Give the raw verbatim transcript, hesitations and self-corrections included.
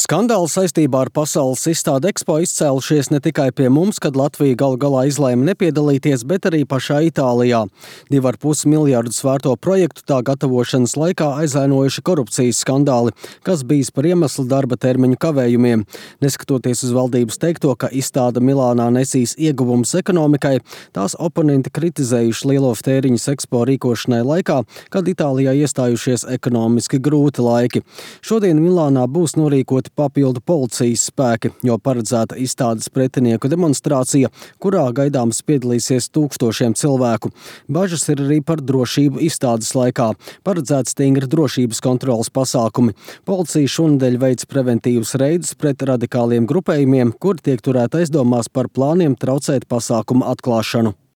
Skandāli saistībā ar pasaules izstādi Expo izcēlušies ne tikai pie mums, kad Latvija galu galā izlēma nepiedalīties, bet arī pašā Itālijā. Divu ar pus miljardus vērto projektu tā gatavošanas laikā aizvainojuši korupcijas skandāli, kas bijis par iemeslu darba termiņu kavējumiem. Neskatoties uz valdības teikto, ka izstāde Milānā nesīs ieguvumus ekonomikai, tās oponenti kritizējuši lielo tēriņus Expo rīkošanai laikā, kad Itālijā iestājušies ekonomiski grūti laiki. Šodien Milānā būs norīkoti papildu policijas spēki, jo paredzēta izstādes pretinieku demonstrācija, kurā gaidāms piedalīsies tūkstošiem cilvēku. Bažas ir arī par drošību izstādes laikā. Paredzēts stingri drošības kontrolas pasākumi. Policija šonedēļ veic preventīvus reidus pret radikāliem grupējumiem, kuri tiek turēti aizdomās par plāniem traucēt pasākumu atklāšanu.